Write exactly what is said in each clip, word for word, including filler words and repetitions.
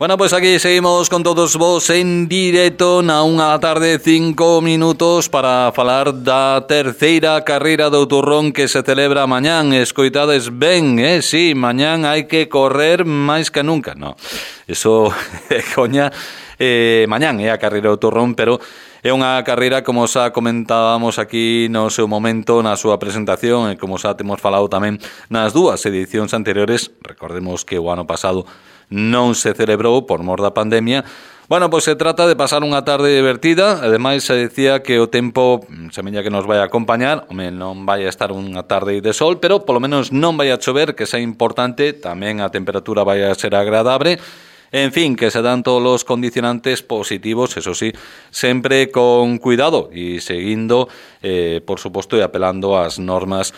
Bueno, pues aquí seguimos con todos vos en directo na unha tarde cinco minutos para falar da terceira carreira do turrón que se celebra mañán. Escoitades ben, eh? Sí, mañán hai que correr máis que nunca. No, eso é coña. Eh, mañán é a carreira do turrón, pero é unha carreira, como xa comentábamos aquí no seu momento, na súa presentación, e como xa temos falado tamén nas dúas edicións anteriores. Recordemos que o ano pasado non se celebrou por mor da pandemia. Bueno, pois se trata de pasar unha tarde divertida. Ademais, se decía que o tempo semella que nos vai a acompañar. Home, non vai a estar unha tarde de sol, pero polo menos non vai a chover, que xa é importante. Tamén a temperatura vai a ser agradable. En fin, que se dan todos os condicionantes positivos, eso sí, sempre con cuidado e seguindo, eh, por suposto, e apelando ás normas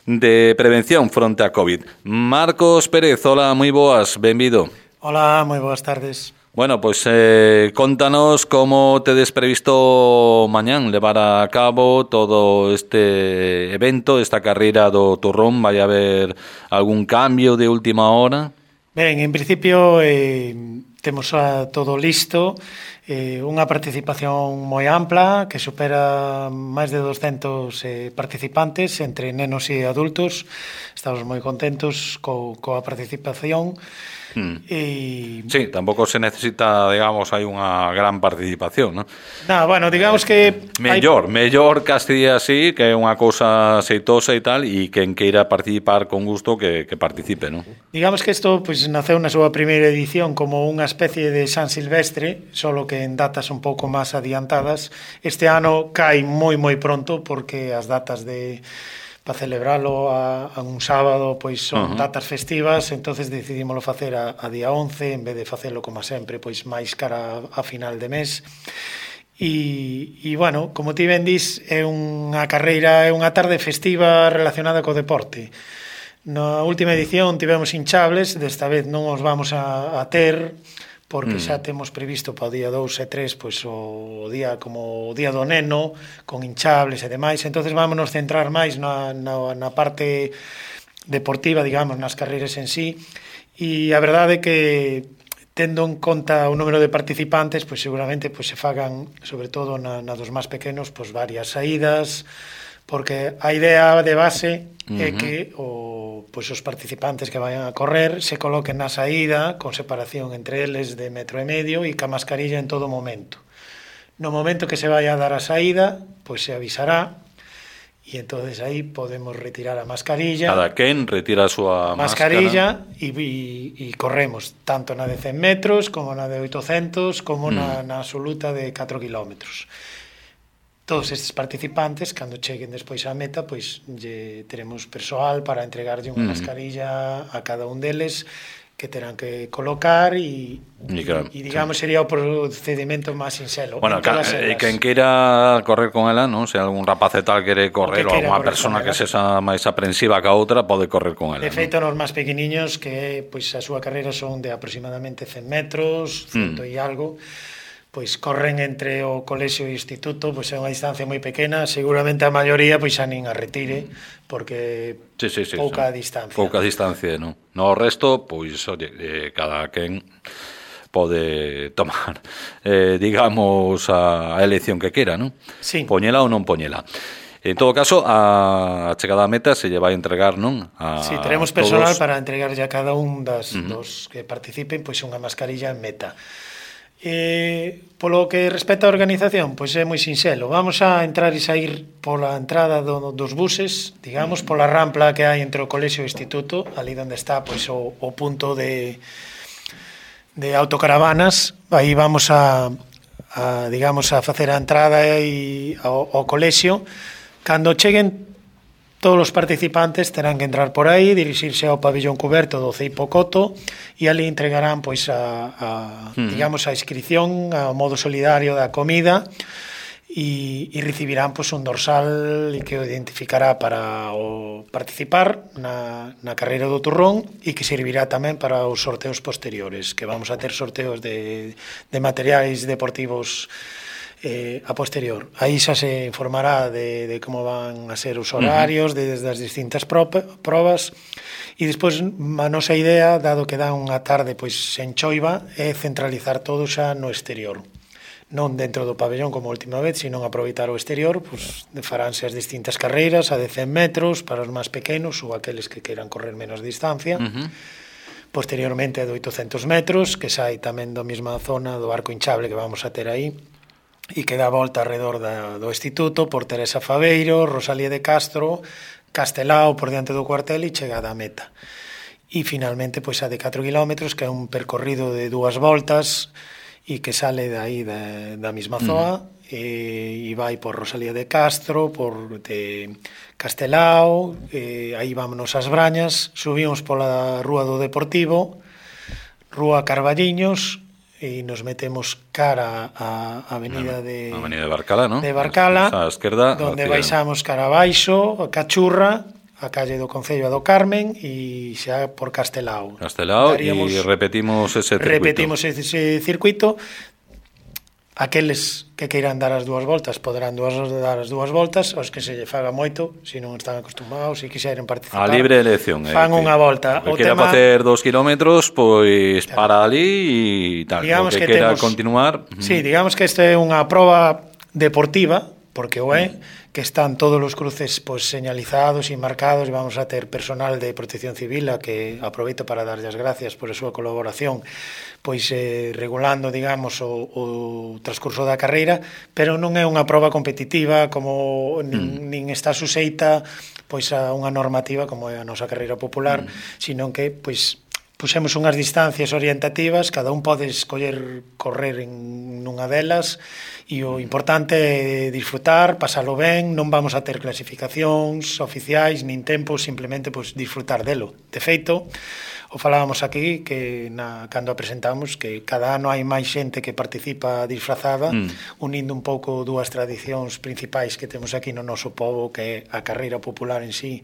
de prevención fronte a COVID. Marcos Pérez, hola, moi boas, benvido. Hola, moi boas tardes. Bueno, pois pues, eh, contanos como tedes previsto mañán levar a cabo todo este evento, esta carreira do turrón. Vai haber algún cambio de última hora? Ben, en principio eh, temos a todo listo, eh, unha participación moi ampla que supera máis de doscentos eh, participantes entre nenos e adultos. Estamos moi contentos co, coa participación. Hmm. E... Sí, tampouco se necesita, digamos, hai unha gran participación, non? No, bueno, digamos que... Mellor, hai... mellor Castilla así, que é unha cousa aceitosa e tal, e quen queira participar con gusto que, que participe, non? Digamos que isto pues, naceu na súa primeira edición como unha especie de San Silvestre, solo que en datas un pouco máis adiantadas. Este ano cae moi moi pronto, porque as datas de... para celebralo a, a un sábado pois son uh -huh. datas festivas, entonces decidímoslo facer a, a día once en vez de facelo como sempre pois máis cara a, a final de mes. E, e bueno, como ti ben dis, é unha carreira, é unha tarde festiva relacionada co deporte. Na última edición tivemos hinchables, desta vez non os vamos a, a ter, porque xa temos previsto para o día dous e tres pois o día como o día do neno con hinchables e demais. Entonces vámonos centrar máis na, na, na parte deportiva, digamos, nas carreiras en sí. E a verdade é que tendo en conta o número de participantes, pois seguramente pois se fagan, sobre todo na, na dos máis pequenos, pois varias saídas, porque a idea de base uh-huh. é que o pois os participantes que vayan a correr se coloquen na saída con separación entre eles de metro e medio e ca mascarilla en todo momento. No momento que se vai a dar a saída, pois se avisará e entonces aí podemos retirar a mascarilla. Cada quen retira a súa mascarilla e, e, e corremos tanto na de cen metros como na de oitocentos como mm. na, na absoluta de catro kilómetros. Todos estes participantes, cando cheguen despois á meta, pois lle teremos persoal para entregarlle unha mm. mascarilla a cada un deles que terán que colocar e, e, claro, e digamos, sí. sería o procedimento máis sinxelo. Bueno, e quen queira correr con ela, non? Se algún rapaz e tal quere correr ou alguna persona que sexa máis aprensiva que a outra, pode correr con ela. De feito, nos máis pequeniños, que pois a súa carreira son de aproximadamente cen metros, cento mm. e algo, pois corren entre o colexio e o instituto, pois é unha distancia moi pequena, seguramente a maioría pois xa nin a retire, porque sí, sí, sí, pouca sí. distancia. Pouca distancia, non? No resto, pois, oye, eh, cada quen pode tomar, eh, digamos, a elección que quera, non? Sí. Poñela ou non poñela. En todo caso, a chegada a meta se lle vai entregar, non? A sí, teremos personal todos... para entregarlle a cada un das, uh -huh. dos que participen pois unha mascarilla en meta. Eh, polo que respecta á organización, pois é moi sinxelo. Vamos a entrar e sair pola entrada do, dos buses, digamos, pola rampla que hai entre o colexio e o instituto, ali onde está pois o, o punto de de autocaravanas. Aí vamos a, a digamos, a facer a entrada e ao, ao colexio. Cando cheguen todos os participantes terán que entrar por aí, dirixirse ao pabillón cuberto do Ceipo Coto e ali entregarán pois a, a mm. digamos a inscripción ao modo solidario da comida e, e recibirán pois un dorsal que o identificará para o participar na, na carreira do turrón e que servirá tamén para os sorteos posteriores, que vamos a ter sorteos de, de materiais deportivos eh, a posterior. Aí xa se informará de, de como van a ser os horarios, uh-huh. desde as distintas probas, e despois a nosa idea, dado que dá unha tarde pois en choiva, é centralizar todo xa no exterior. Non dentro do pabellón como a última vez, sino aproveitar o exterior, pois faránse as distintas carreiras a de cen metros para os máis pequenos ou aqueles que queiran correr menos distancia. Uh-huh. Posteriormente de oitocentos metros, que sai tamén da mesma zona do arco hinchable que vamos a ter aí, e que dá volta alrededor da, do Instituto por Teresa Faveiro, Rosalía de Castro, Castelao por diante do cuartel e chegada á meta. E finalmente pois a de catro kilómetros, que é un percorrido de dúas voltas e que sale de aí da, da mesma zoa, mm. e, e vai por Rosalía de Castro, por de Castelao, e aí vámonos ás Brañas, subimos pola Rúa do Deportivo, Rúa Carballiños, e nos metemos cara á avenida de a avenida de Barcala, ¿no? De Barcala, a esquerda, donde baixamos cara abaixo, a Cachurra, a calle do Concello do Carmen e xa por Castelao. Castelao Daríamos, e repetimos ese circuito. Repetimos ese circuito. Aqueles que queiran dar as dúas voltas poderán dúas, dar as dúas voltas, os que se lle faga moito, se non están acostumados e quixeren participar. A libre elección. Fan eh, unha volta. O que queira tema, facer dos kilómetros, pois claro, para ali e tal. Digamos o que, que queira temos, continuar. Sí, digamos que este é unha proba deportiva, porque o é, que están todos os cruces pois, señalizados e marcados, e vamos a ter personal de Protección Civil a que aproveito para darlle as gracias por a súa colaboración, pois eh, regulando, digamos, o, o transcurso da carreira, pero non é unha proba competitiva como nin, mm. nin está suxeita pois a unha normativa como é a nosa carreira popular, mm. sino que pois puxemos unhas distancias orientativas, cada un pode escoller correr en nunha delas, e o importante é disfrutar, pasalo ben, non vamos a ter clasificacións oficiais, nin tempos, simplemente pois, disfrutar delo. De feito, o falábamos aquí, que na, cando a presentamos, que cada ano hai máis xente que participa disfrazada, mm. unindo un pouco dúas tradicións principais que temos aquí no noso pobo, que é a carreira popular en sí,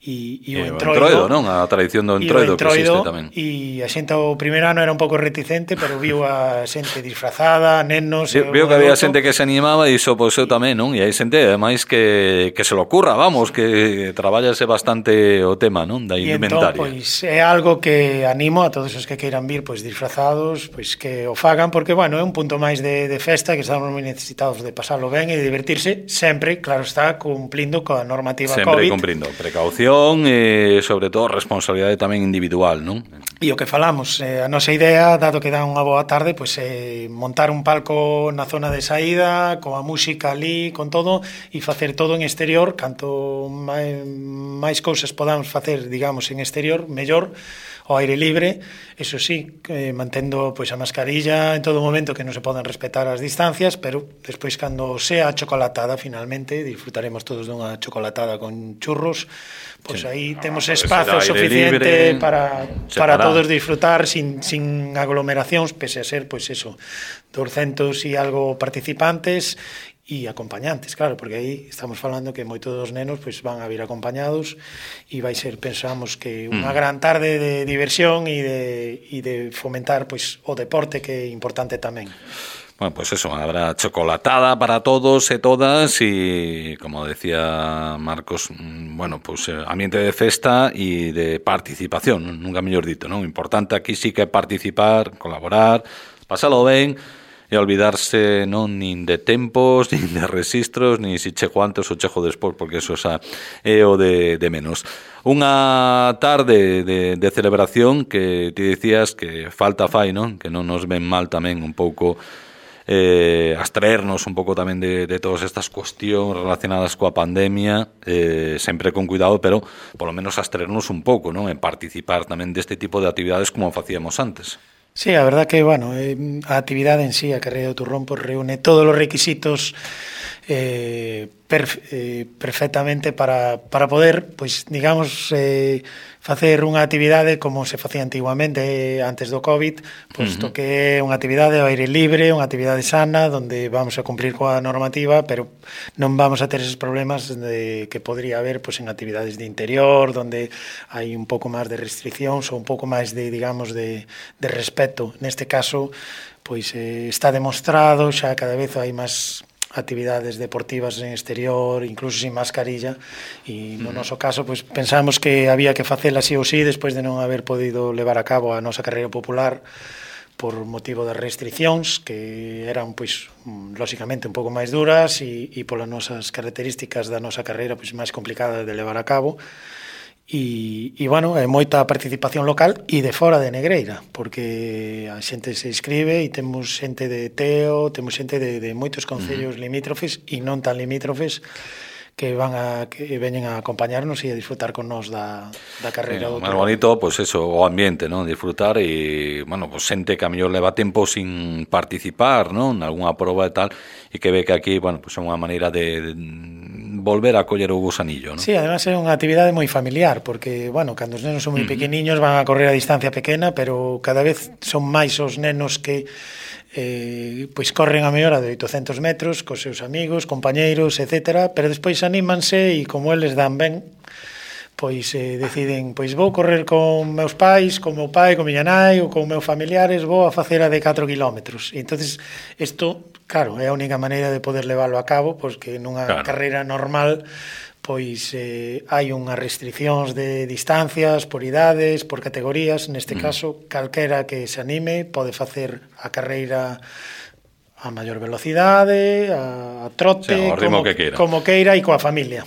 e, e o entroido, entroido, non? A tradición do entroido, entroido que existe tamén. E a xente o primeiro ano era un pouco reticente, pero viu a xente disfrazada, nenos... Sí, viu que había xente que se animaba e iso pois eu tamén, non? E hai xente, ademais, que, que se lo ocurra, vamos, que traballase bastante o tema, non? Da indumentaria. E entón, pois, é algo que animo a todos os que queiran vir, pois, disfrazados, pois, que o fagan, porque, bueno, é un punto máis de, de festa, que estamos moi necesitados de pasarlo ben e de divertirse, sempre, claro está, cumplindo coa normativa sempre COVID. Sempre cumprindo precaución, e sobre todo responsabilidade tamén individual, non? E o que falamos, eh, a nosa idea, dado que dá unha boa tarde, pois é eh, montar un palco na zona de saída, coa música ali, con todo, e facer todo en exterior, canto máis, máis cousas podamos facer, digamos, en exterior, mellor, ao aire libre, eso sí, eh, mantendo pois a mascarilla en todo momento, que non se poden respetar as distancias, pero despois cando sea a chocolatada, finalmente, disfrutaremos todos dunha chocolatada con churros, pois sí, aí temos espazo suficiente libre, para, para todos disfrutar sin, sin aglomeracións, pese a ser, pois eso, doscientos e algo participantes e acompañantes, claro, porque aí estamos falando que moitos dos nenos pois van a vir acompañados e vai ser, pensamos que unha mm. gran tarde de diversión e de, e de fomentar pois o deporte, que é importante tamén. Bueno, pues eso, habrá chocolatada para todos e todas y, como decía Marcos, bueno, pues ambiente de festa y de participación, nunca mellor dito, non? Importante aquí sí que participar, colaborar, pasalo ben, e olvidarse non nin de tempos, nin de registros, nin si chejo antes ou chejo despois, porque eso xa é o de, de menos. Unha tarde de, de celebración que ti dicías que falta fai, non? Que non nos ven mal tamén un pouco eh, abstraernos un pouco tamén de, de todas estas cuestións relacionadas coa pandemia, eh, sempre con cuidado, pero polo menos abstraernos un pouco, non? En participar tamén deste tipo de actividades como facíamos antes. Sí, a verdad que, bueno, eh, a actividade en sí, a carreira do turrón, pues, reúne todos os requisitos eh, perf, eh, perfectamente para, para poder, pois, digamos, eh, facer unha actividade como se facía antiguamente antes do COVID, posto uh-huh. que é unha actividade ao aire libre, unha actividade sana, onde vamos a cumplir coa normativa, pero non vamos a ter esos problemas de, que podría haber pois, en actividades de interior, onde hai un pouco máis de restriccións ou un pouco máis de, digamos, de, de respeto. Neste caso, pois eh, está demostrado, xa cada vez hai máis actividades deportivas en exterior, incluso sin mascarilla, e no noso caso pois pensamos que había que facela así ou sí despois de non haber podido levar a cabo a nosa carreira popular por motivo das restriccións que eran pois lóxicamente un pouco máis duras e, e polas nosas características da nosa carreira pois máis complicadas de levar a cabo. E, e, bueno, é moita participación local e de fora de Negreira, porque a xente se inscribe e temos xente de Teo, temos xente de, de moitos concellos uh-huh. limítrofes e non tan limítrofes que van a que veñen a acompañarnos e a disfrutar con nós da, da carreira. Sí, o máis bonito, pois pues eso, o ambiente, non? Disfrutar e, bueno, pois pues, xente que a mellor leva tempo sin participar, non? Nalgúna proba e tal, e que ve que aquí, bueno, pois pues, é unha maneira de, de volver a coller o gusanillo, non? Sí, además é unha actividade moi familiar, porque, bueno, cando os nenos son moi pequeniños van a correr a distancia pequena, pero cada vez son máis os nenos que eh, pois corren a mellor a de oitocentos metros cos seus amigos, compañeiros, etcétera, pero despois anímanse e como eles dan ben, pois eh, deciden, pois vou correr con meus pais, con meu pai, con miña nai ou con meus familiares, vou a facer a de catro kilómetros. E entonces isto, claro, é a única maneira de poder leválo a cabo, pois que nunha claro. carreira normal pois eh, hai unhas restriccións de distancias, por idades, por categorías. Neste mm. caso, calquera que se anime pode facer a carreira a maior velocidade, a, a trote, o sea, como, que queira. como queira e coa familia.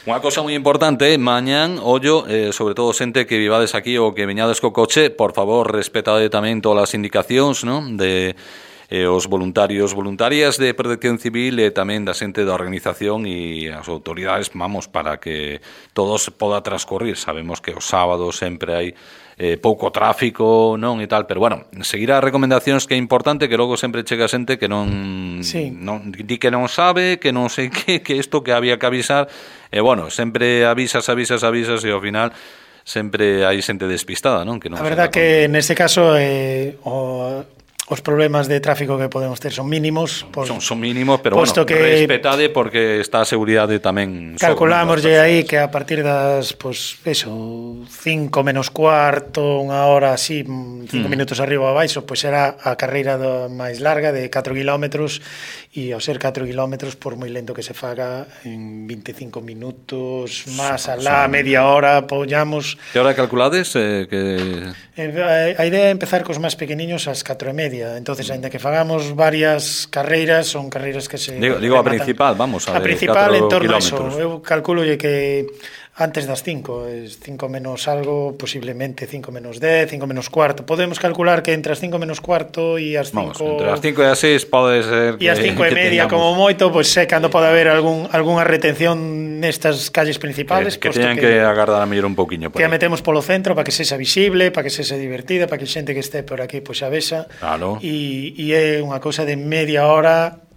Unha cousa moi importante, mañán, ollo, eh, sobre todo xente que vivades aquí ou que veñades co coche, por favor, respetade tamén todas as indicacións, non? De eh, os voluntarios, voluntarias de Protección Civil e tamén da xente da organización e as autoridades, vamos, para que todo se poda transcorrer. Sabemos que os sábados sempre hai eh, pouco tráfico, non, e tal, pero bueno, seguir as recomendacións que é importante, que logo sempre chega xente que non, sí. non di que non sabe, que non sei que, que isto que había que avisar, e bueno, sempre avisas, avisas, avisas, e ao final sempre hai xente despistada, non? Que non a verdad que neste caso eh, o os problemas de tráfico que podemos ter son mínimos. Por, son, son mínimos, pero bueno, que respetade porque está a seguridade tamén. Calculámoslle aí que a partir das, pues, eso, cinco menos cuarto, unha hora así, cinco mm. minutos arriba ou abaixo, pois pues será a carreira do, máis larga de catro kilómetros, e ao ser catro kilómetros, por moi lento que se faga, en veinticinco minutos, máis alá, media hora, apoyamos. Que hora calculades? Eh, que... Eh, a idea é empezar cos máis pequeniños ás catro e media. Entonces, ainda que fagamos varias carreiras, son carreiras que se... Digo, digo a principal, vamos, a, a principal en torno a eso. Eu calculolle que antes das cinco, cinco menos algo, posiblemente cinco menos dez, cinco menos cuarto. Podemos calcular que entre as cinco menos cuarto e as cinco... Vamos, entre as cinco e as seis pode ser que... E as cinco e media, tengamos... como moito, pois pues, sé cando pode haber algún, algunha retención nestas calles principales. Que, que teñan que, que agardar a mellor un pouquiño. Que a metemos polo centro para que sexa visible, para que sexa divertida, para que xente que este por aquí pois pues, a vexa. Claro. E, e é unha cousa de media hora...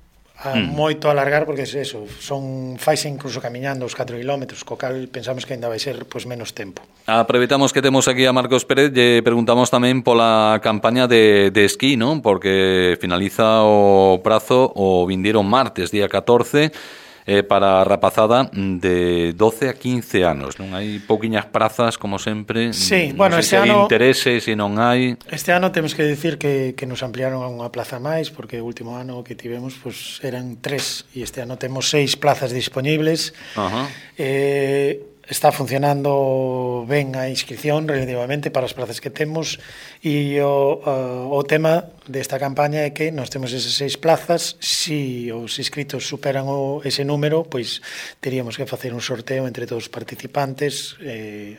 a mm. moito alargar, porque é eso, son faise incluso camiñando os catro kilómetros, co cal pensamos que ainda vai ser pois menos tempo. Aproveitamos que temos aquí a Marcos Pérez, lle preguntamos tamén pola campaña de, de esquí, non? Porque finaliza o prazo o vindeiro martes, día catorce, eh, para a rapazada de doce a quince anos, non? Hai pouquiñas prazas, como sempre. Sí, non bueno, sei este se hai ano interese, se non hai. Este ano temos que dicir que, que nos ampliaron a unha plaza máis, porque o último ano que tivemos pues, eran tres, e este ano temos seis plazas disponibles. Ajá. Eh, está funcionando ben a inscripción relativamente para as plazas que temos, e o, o, o tema desta campaña é que nós temos esas seis plazas. Si os inscritos superan o, ese número, pois teríamos que facer un sorteo entre todos os participantes. eh,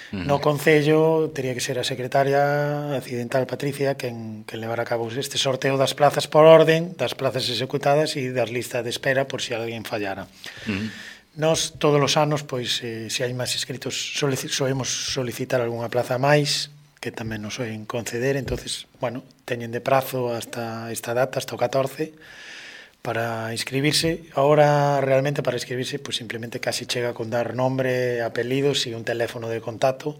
Uh-huh. No Concello tería que ser a secretaria accidental Patricia quen, quen levar a cabo este sorteo das plazas por orden, das plazas executadas e das listas de espera por si alguén fallara. Uh-huh. Nós todos os anos, pois, eh, se hai máis inscritos, solic- soemos solicitar algunha plaza máis, que tamén nos soen conceder. Entonces, bueno, teñen de prazo hasta esta data, hasta o catorce, para inscribirse. Ahora realmente para inscribirse pues simplemente casi chega con dar nombre, apelidos e un teléfono de contacto,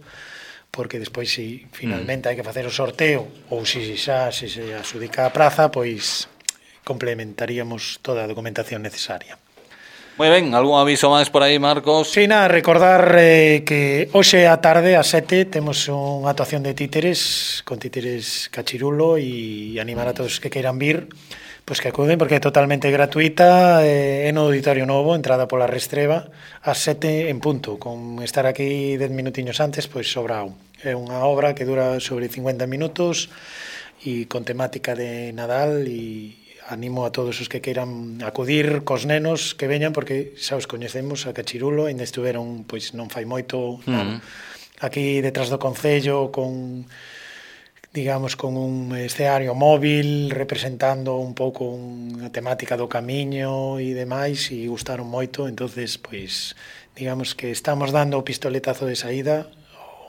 porque despois si finalmente mm. hai que facer o sorteo ou se xa se, se adxudica a praza, pois complementaríamos toda a documentación necesaria. Moi ben, algún aviso máis por aí, Marcos? Si, nada, recordar eh, que hoxe á tarde, ás sete, temos unha actuación de títeres, con títeres Cachirulo, e animar a todos que queiran vir, pois que acuden, porque é totalmente gratuita, eh, é no Auditorio Novo, entrada pola Restreba, ás sete en punto. Con estar aquí dez minutiños antes, pois sobrao. É unha obra que dura sobre cincuenta minutos, e con temática de Nadal, e animo a todos os que queiran acudir cos nenos que veñan, porque xa os coñecemos a Cachirulo, ainda estuveron pois non fai moito uh-huh. aquí detrás do concello con digamos con un escenario móvil representando un pouco unha temática do camiño e demais, e gustaron moito. Entonces pois digamos que estamos dando o pistoletazo de saída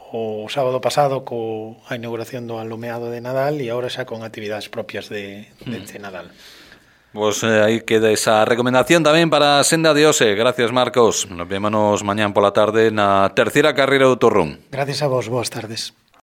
o sábado pasado co a inauguración do alumeado de Nadal, e agora xa con actividades propias de, de, de Nadal. Pues eh, aí queda esa recomendación tamén para a senda de hoxe. Gracias, Marcos. Nos vémonos mañán pola tarde na terceira carreira do Torrón. Gracias a vos, boas tardes.